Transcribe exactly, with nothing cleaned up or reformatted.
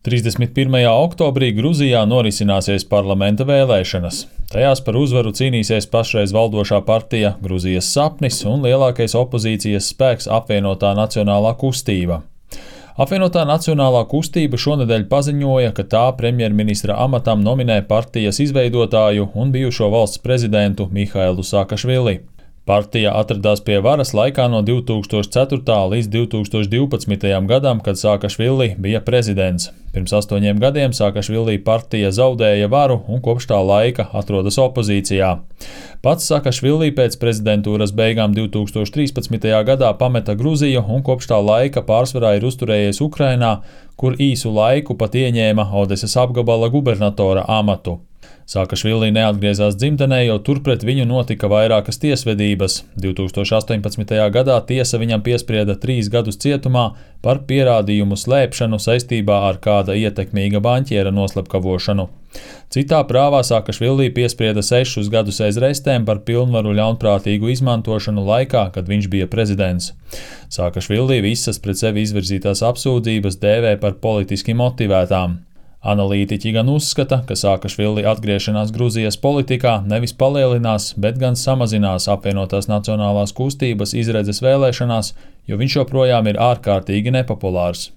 trīsdesmit pirmajā oktobrī Gruzijā norisināsies parlamenta vēlēšanas. Tajās par uzvaru cīnīsies pašreiz valdošā partija Gruzijas sapnis un lielākais opozīcijas spēks Apvienotā nacionālā kustība. Apvienotā nacionālā kustība šonedēļ paziņoja, ka tā premjerministra amatam nominē partijas izveidotāju un bijušo valsts prezidentu Mihailu Saakašvili. Partija atradās pie varas laikā no divi tūkstoši ceturtā līdz divi tūkstoši divpadsmitajam gadam, kad Saakašvili bija prezidents. Pirms astoņiem gadiem Saakašvili partija zaudēja varu un kopš tā laika atrodas opozīcijā. Pats Saakašvili pēc prezidentūras beigām divi tūkstoši trīspadsmitajā gadā pameta Gruziju un kopš tā laika pārsvarā ir uzturējies Ukrainā, kur īsu laiku pat ieņēma Odesas apgabala gubernatora amatu. Saakašvili neatgriezās dzimtenē, jo turpret viņu notika vairākas tiesvedības. divi tūkstoši astoņpadsmitajā gadā tiesa viņam piesprieda trīs gadus cietumā par pierādījumu slēpšanu saistībā ar kāda ietekmīga banķiera noslepkavošanu. Citā prāvā Saakašvili piesprieda sešus gadus aiz restēm par pilnvaru ļaunprātīgu izmantošanu laikā, kad viņš bija prezidents. Saakašvili visas pret sevi izvirzītās apsūdzības dēvē par politiski motivētām. Analītiķi gan uzskata, ka Saakašvili atgriešanās Gruzijas politikā nevis palielinās, bet gan samazinās Apvienotās nacionālās kustības izredzes vēlēšanās, jo viņš joprojām ir ārkārtīgi nepopulārs.